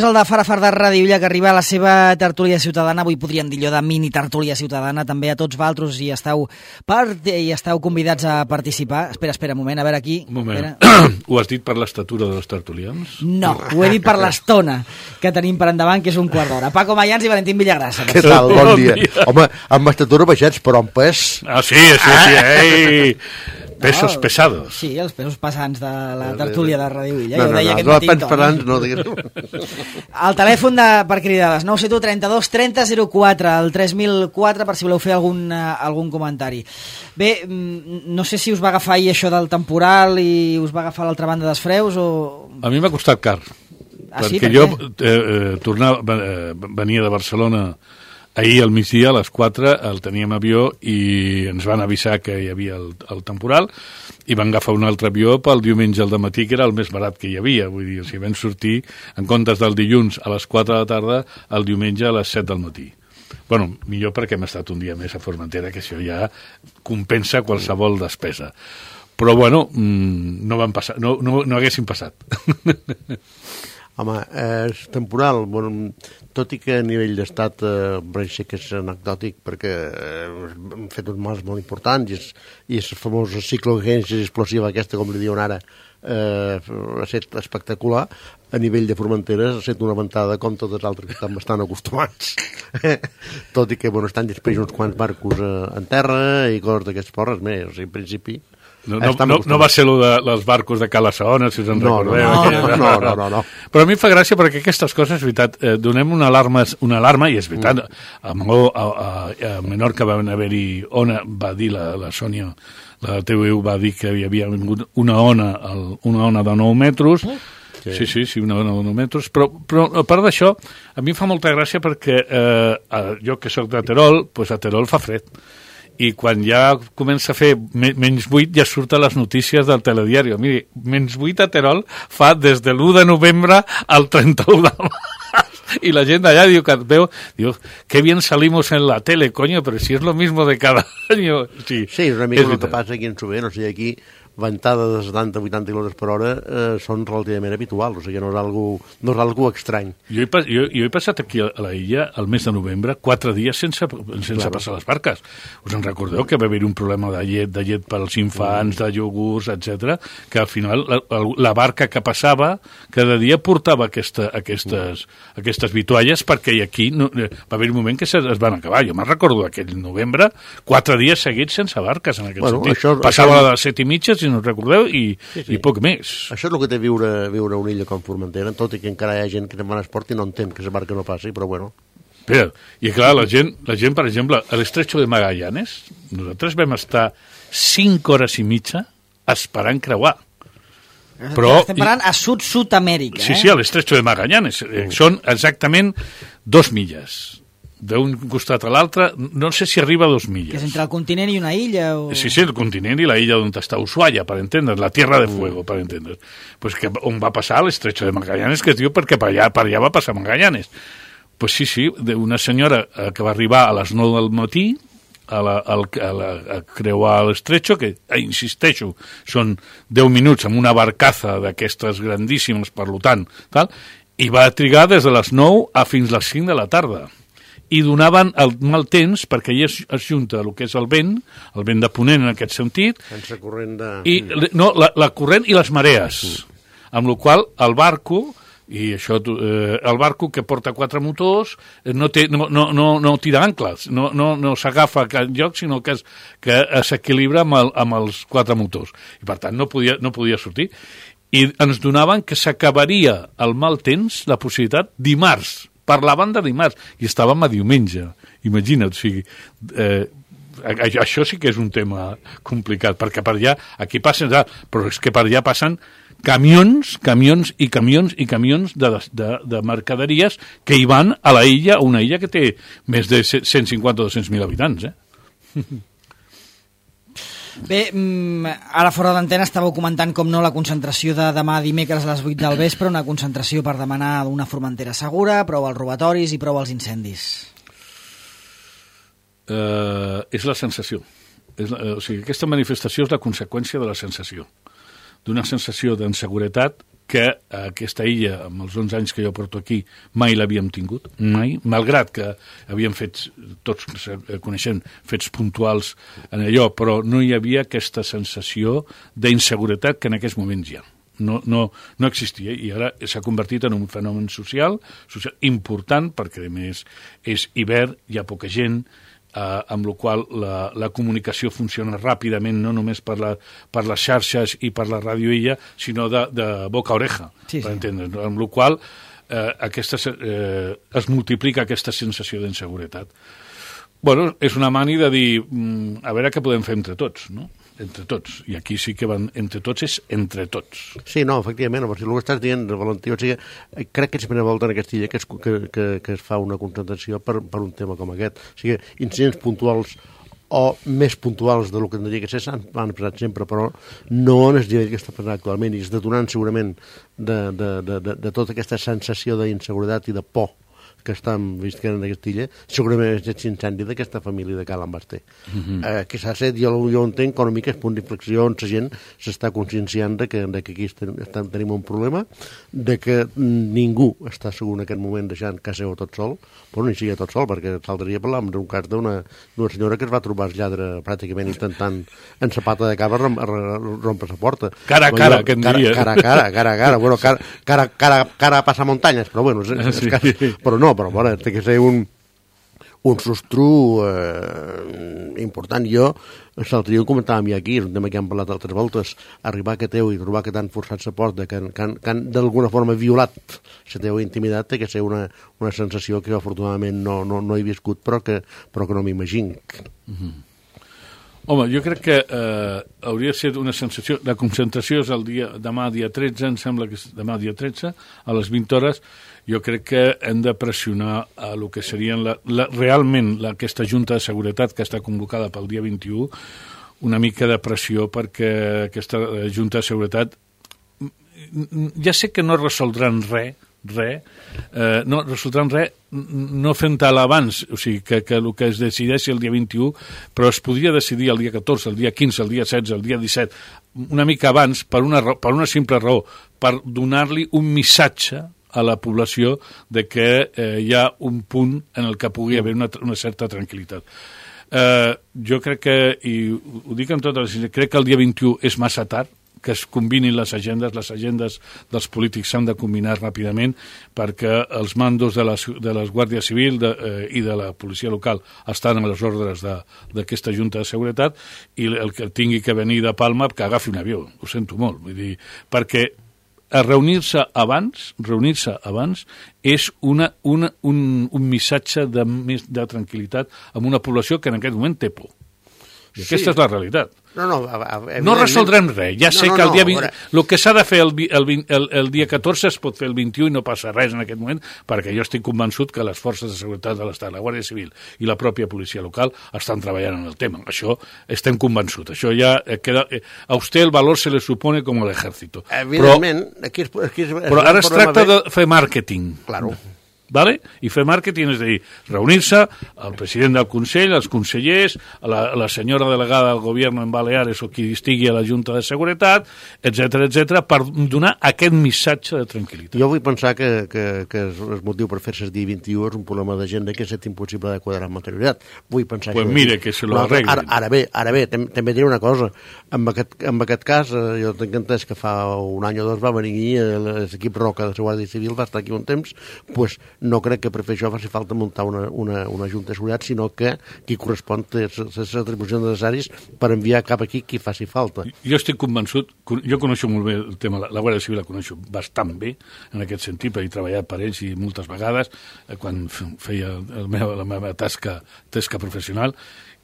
El de Farafar de Ràdio Illa, que arriba a la seva tertúlia ciutadana. Avui podríem dir allò de mini tertúlia ciutadana. També a tots vosaltres hi esteu convidats a participar. Espera un moment, a veure aquí. Un moment. Ho has dit per l'estatura dels tertulians? No, ho he dit per l'estona que tenim per endavant, que és un quart d'hora. Paco Mayans i Valentín Villagrasa. Què tal? Bon dia. Home, amb estatura baixets, però amb pes... Ah, sí. Ei! Pesos pesados. Sí, els pesos pesants de la tertúlia de Ràdio Illa. No, pens pesants, no digues. El telèfon per cridades, 971 32 30 04, el 3004, per si voleu fer algun comentari. Bé, no sé si us va agafar ahir això del temporal i us va agafar l'altra banda dels freus o... A mi m'ha costat car. Perquè jo venia de Barcelona ahir al migdia, a les 4, el teníem avió i ens van avisar que hi havia el temporal i van agafar un altre avió pel diumenge al dematí, que era el més barat que hi havia. Vull dir, o sigui, vam sortir, en comptes del dilluns a les 4 de la tarda, el diumenge a les 7 del matí. Bueno, millor perquè hem estat un dia més a Formentera, que això ja compensa qualsevol despesa. Però, bueno, no van passar, no haguessin passat. Home, és temporal, bueno, tot i que a nivell d'estat pareix que és anecdòtic perquè hem fet uns mals molt importants i el famós ciclogènesis explosiva aquesta, com li diuen ara, ha estat espectacular. A nivell de Formentera ha estat una ventada com totes les altres que estan bastant acostumats. Tot i que, bueno, estan després uns quants barcos en terra i coses d'aquests porres més, o sigui, en principi... No va ser el dels barcos de Cala Saona, si us en recordeu. No. Però a mi em fa gràcia perquè aquestes coses, és veritat, donem una alarma, i és veritat, a Menorca van haver-hi va dir la Sònia, la TVU va dir que hi havia vingut una ona de 9 metres, Sí, una ona de 9 metres, però a part d'això, a mi em fa molta gràcia perquè jo que soc de Terol, doncs a Terol fa fred. I quan ja comença a fer menys 8 ja surten les notícies del telediari. Miri, menys 8 a Terol fa des de l'1 de novembre al 31 de març. I la gent d'allà diu que et veu, diu, que bien salimos en la tele, coño, pero si es lo mismo de cada año. Sí, és una mica el que passa aquí en Sober, o sigui, aquí ventada de 70-80 km per hora són relativament habituals, o sigui, no és algo estrany. Jo he passat aquí a la illa el mes de novembre 4 dies sense passar les barques. Us en recordeu que va haver un problema de llet pels infants, de iogurts, etc, que al final la barca que passava cada dia portava aquestes vitualles perquè aquí va haver un moment que es van acabar. Jo me'n recordo aquell novembre 4 dies seguits sense barques en aquest sentit. Passava a les 7:30, no recordeu, i poc més. Això és el que té viure a una illa com Formentera, tot i que encara hi ha gent que te'n va a esport i no entén que la barca no passi, però bueno. Espera, i clar, la gent, per exemple, a l'Estrecho de Magallanes, nosaltres vam estar 5 hores i mitja esperant creuar. Però estem parlant a Sud-Amèrica. Sí, a l'Estrecho de Magallanes. Són exactament 2 milles. D'un costat a l'altre, no sé si arriba a 2 milles. Que és entre el continent i una illa? O... Sí, el continent i la illa on està Ushuaia, per entendre's, la Tierra de Fuego, per entendre's. Pues que on va passar l'Estrecho de Magallanes, que es diu perquè per allà va passar Magallanes. Pues sí, una senyora que va arribar a les 9 del matí a creuar l'Estrecho, que, insisteixo, són 10 minuts amb una barcaza d'aquestes grandíssimes, per tant, i va trigar des de les 9 fins les 5 de la tarda. I donaven el mal temps perquè allà es junta el que és el vent de ponent en aquest sentit, sense corrent de... la corrent i les marees, amb la qual el barco, i això, el barco que porta 4 motors no tira ancles, no s'agafa a cap lloc, sinó que s'equilibra amb els 4 motors, i per tant no podia sortir. I ens donaven que s'acabaria el mal temps, la possibilitat, dimarts, parlaven de dimarts, i estàvem a diumenge. Imagina't, o sigui, això sí que és un tema complicat, perquè per allà, aquí passen, però és que per allà passen camions de mercaderies que hi van a la illa, una illa que té més de 150 o 200.000 habitants, Bé, ara fora d'antena estàveu comentant com no la concentració de demà dimecres a les 8 del vespre, una concentració per demanar una Formentera segura, prou als robatoris i prou als incendis. És la sensació. O sigui, aquesta manifestació és la conseqüència de la sensació. D'una sensació d'inseguretat que aquesta illa, amb els 11 anys que jo porto aquí, mai l'havíem tingut, mai, malgrat que havíem fet, tots coneixem, fets puntuals en allò, però no hi havia aquesta sensació d'inseguretat que en aquests moments hi ha. No existia, i ara s'ha convertit en un fenomen social important, perquè a més és hivern, hi ha poca gent, amb la qual la comunicació funciona ràpidament, no només per les xarxes i per la radioilla, sinó de boca a oreja, per entendre's, amb la qual es multiplica aquesta sensació d'inseguretat. Bueno, és una mani de dir, a veure què podem fer entre tots, no? Entre tots, i aquí sí que van entre tots, és entre tots. Sí, no, efectivament, el que estàs dient, Valentí, o sigui, crec que és la primera volta en aquesta illa que es fa una concentració per un tema com aquest. O sigui, incidents puntuals o més puntuals del que tindria que ser s'han passat sempre, però no en el nivell que està passant actualment, i és detonant segurament de tota aquesta sensació d'inseguretat i de por que estan visquent en aquesta illa, segurament és l'incendi d'aquesta família de Cal Basté. Que s'ha fet, jo entenc que una mica és punt d'inflexió on la gent s'està conscienciant de que aquí tenim un problema, de que ningú està segur en aquest moment deixant casa seva tot sol, però no hi sigui tot sol, perquè caldria parlar d'un cas d'una senyora que es va trobar el lladre pràcticament intentant en sa pata de cava rompre la porta. Cara a cara, que en diria. Cara a cara. Bueno, cara a passar muntanyes, però bueno, però no, però bueno, té que ser un sostru important. Jo l'altre dia ho comentàvem ja aquí, és un tema que hem parlat altres voltes, arribar a Cateu i trobar que t'han forçat la porta, que han d'alguna forma violat la teva intimitat, té que ser una sensació que afortunadament no he viscut, però que no m'imagino. Home, jo crec que hauria de ser una sensació. La concentració és demà dia 13, em sembla que és demà dia 13, a les 20 hores. Jo crec que hem de pressionar a el que serien realment aquesta Junta de Seguretat que està convocada pel dia 21, una mica de pressió perquè aquesta Junta de Seguretat ja sé que no resoldran res, no resoldran res no fent tal abans, o sigui que el que es decideixi el dia 21, però es podria decidir el dia 14, el dia 15, el dia 16, el dia 17, una mica abans, per una simple raó, per donar-li un missatge a la població de que hi ha un punt en el que pugui haver una certa tranquil·litat. Jo crec que, i ho dic amb tota la sinceritat, crec que el dia 21 és massa tard, que es combinin les agendes dels polítics s'han de combinar ràpidament perquè els mandos de les Guàrdia Civil i de la policia local estan a les ordres d'aquesta Junta de Seguretat, i el que tingui que venir de Palma que agafi un avió, ho sento molt, vull dir, perquè reunir-se abans és un missatge de tranquil·litat amb una població que en aquest moment té por. I aquesta és la realitat. No resoldrem res. Ja sé que el dia 20... El que s'ha de fer el dia 14 es pot fer el 21 i no passa res en aquest moment, perquè jo estic convençut que les forces de seguretat de l'Estat, la Guàrdia Civil i la pròpia policia local estan treballant en el tema. Això estem convençuts. Això ja queda... A usted el valor se le supone como el ejército. Evidentment. Però ara es tracta de fer màrqueting. Claro. ¿Vale? I fer màrqueting és a dir, reunir-se el president del Consell, els consellers, la senyora delegada del govern en Baleares o qui estigui a la Junta de Seguretat, etc per donar aquest missatge de tranquil·litat. Jo vull pensar que el motiu per fer-se el dia 21 és un problema d'agenda que és impossible de quadrar amb anterioritat. Vull pensar pues mire, que se lo arreglin. Ara bé, també diré una cosa. En aquest cas, jo tinc entès que fa un any o dos va venir l'equip Roca de la Guàrdia Civil, va estar aquí un temps, pues no crec que per fer això faci falta muntar una junta de seguretat, sinó que qui correspon té les atribucions necessàries per enviar cap aquí qui faci falta. Jo estic convençut, jo coneixo molt bé el tema, la Guàrdia Civil la coneixo bastant bé, en aquest sentit, perquè he treballat per ells i moltes vegades, quan feia la meva tasca professional,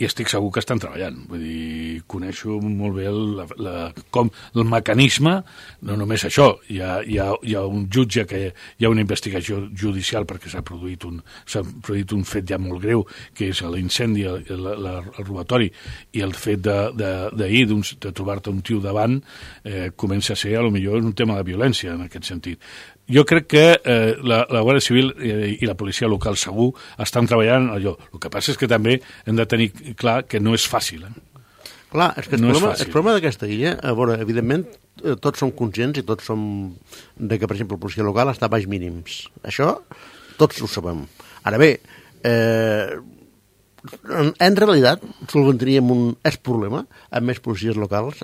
i estic segur que estan treballant. Vull dir, coneixo molt bé el mecanisme, no només això, hi ha un jutge, que hi ha una investigació judicial perquè s'ha produït un fet ja molt greu, que és l'incendi, el robatori, i el fet d'ahir de trobar-te un tio davant comença a ser, potser un tema de violència en aquest sentit. Jo crec que la Guàrdia Civil i la policia local segur estan treballant allò. El que passa és que també hem de tenir clar que no és fàcil. Clar, és que no és fàcil. El problema d'aquesta illa, a veure, evidentment, tots som conscients i tots som de que, per exemple, la policia local està a baix mínims. Això tots ho sabem. Ara bé, en realitat, solventaríem un problema amb més policies locals.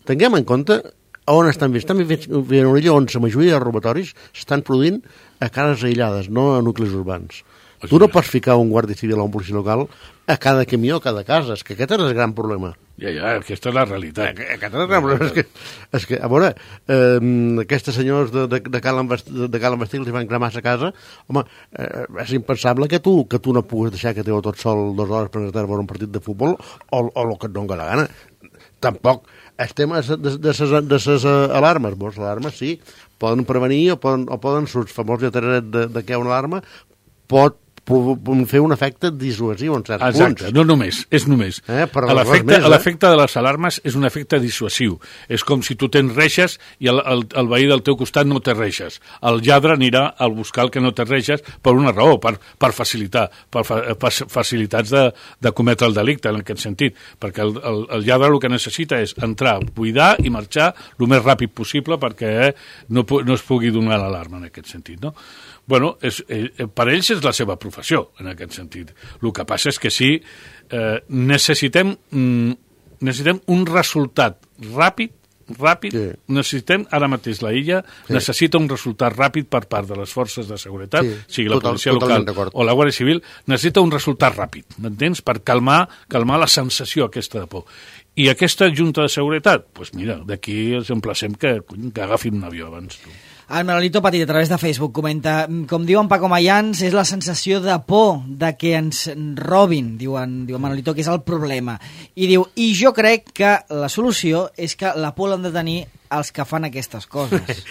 Tinguem en compte on estan vist. Estan vist en una illa on la majoria de robatoris s'estan produint a cases aïllades, no a nuclis urbans. Tu no pots ficar un guàrdia civil o un policia local a cada camió, a cada casa. És que aquest és el gran problema. Ja, aquesta és la realitat. Aquest és el gran problema. És que a veure, aquests senyors de Cal Envestir els van cremar a casa. Home, és impensable que tu no puguis deixar que teu tot sol 2 hores per anar a veure un partit de futbol o el que et doni la gana. Tampoc el tema de les alarmes. Les alarmes sí, poden prevenir o poden el famós lletraret de què una alarma pot fer un efecte dissuasiu en certs punts. Exacte, no només, és només. L'efecte de les alarmes és un efecte dissuasiu. És com si tu tens reixes i el veí del teu costat no té reixes. El lladre anirà a buscar el que no té reixes per una raó, per facilitar, per facilitats de cometre el delicte, en aquest sentit. Perquè el lladre el que necessita és entrar, buidar i marxar el més ràpid possible perquè no es pugui donar l'alarma en aquest sentit, no? Bueno, per ells és la seva professió, en aquest sentit. El que passa és que sí, necessitem un resultat ràpid, sí. Necessitem, ara mateix la illa, sí. Necessita un resultat ràpid per part de les forces de seguretat, sí. Sigui la policia local o la Guàrdia Civil, necessita un resultat ràpid, m'entens? Per calmar la sensació aquesta de por. I aquesta junta de seguretat, doncs mira, d'aquí els emplacem que agafin un avió abans, tu. El Manolito Petit, a través de Facebook, comenta: com diuen Paco Mayans, és la sensació de por de que ens robin, diu Manolito, que és el problema. I diu, i jo crec que la solució és que la por l'han de tenir els que fan aquestes coses.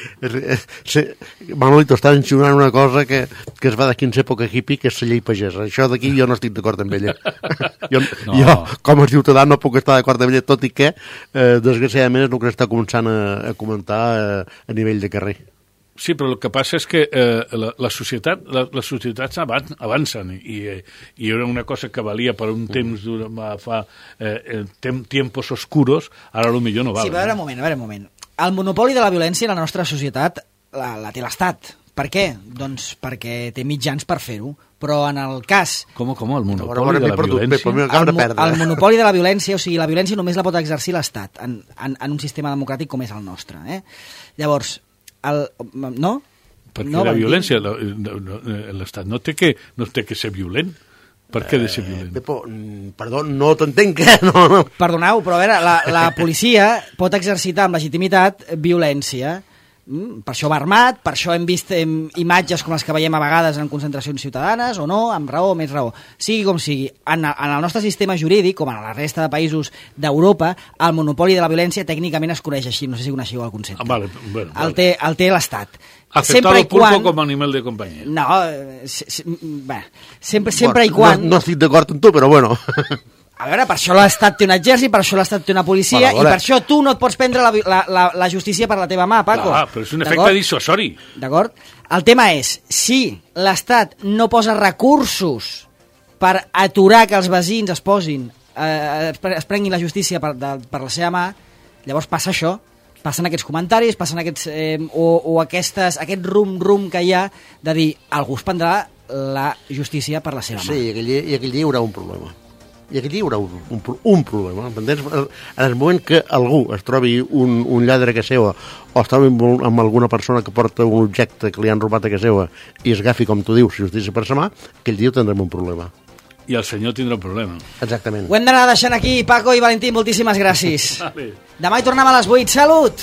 Manolito està mencionant una cosa que es va d'aquí en època hippie, que és la llei pagesa. Això d'aquí jo no estic d'acord amb ella. Jo, com a ciutadà, no puc estar d'acord amb ella, tot i que, desgraciadament, és el que està començant a comentar a nivell de carrer. Sí, però el que passa és que les societats avancen i era una cosa que valia per un temps fa tiempos oscuros, ara potser no val. Sí, però a veure un moment. El monopoli de la violència en la nostra societat la té l'Estat. Per què? Doncs perquè té mitjans per fer-ho. Però en el cas... Com? El monopoli de la violència? El monopoli de la violència, o sigui, la violència només la pot exercir l'Estat en un sistema democràtic com és el nostre. Llavors, no? Perquè la violència, l'Estat no té que ser violent. Per què ha de ser violent? Pepo, perdó, no t'entenc. No. Perdoneu, però a veure, la policia pot exercitar amb legitimitat violència. Per això va armat, per això hem vist imatges com les que veiem a vegades en concentracions ciutadanes, o no, amb raó o més raó. Sigui com sigui, en el nostre sistema jurídic, com en la resta de països d'Europa, el monopoli de la violència tècnicament es coneix així, no sé si coneixeu el concepte. Vale. El té l'Estat. Aceptar el pulpo com a animal de companyia. No, sempre i quan... No estic d'acord amb tu, però bueno... A veure, per això l'Estat té un exèrcit, per això l'Estat té una policia, i per això tu no et pots prendre la justícia per la teva mà, Paco. Però és un efecte dissuasori. D'acord? El tema és, si l'Estat no posa recursos per aturar que els veïns es prenguin la justícia per la seva mà, llavors passa això. Passen aquests comentaris, passen aquests aquest rum que hi ha de dir algú es prendrà la justícia per la seva mà. Sí, i aquell dia hi haurà un problema. I aquí hi haurà un problema. En el moment que algú es trobi un lladre a casa seva o es trobi amb alguna persona que porta un objecte que li han robat a casa seva i es agafi, com tu dius, justícia per sa mà, aquell dia tindrem un problema. I el senyor tindrà un problema. Exactament. Ho hem d'anar deixant aquí. Paco i Valentín, moltíssimes gràcies. Demà hi tornem a les 8. Salut!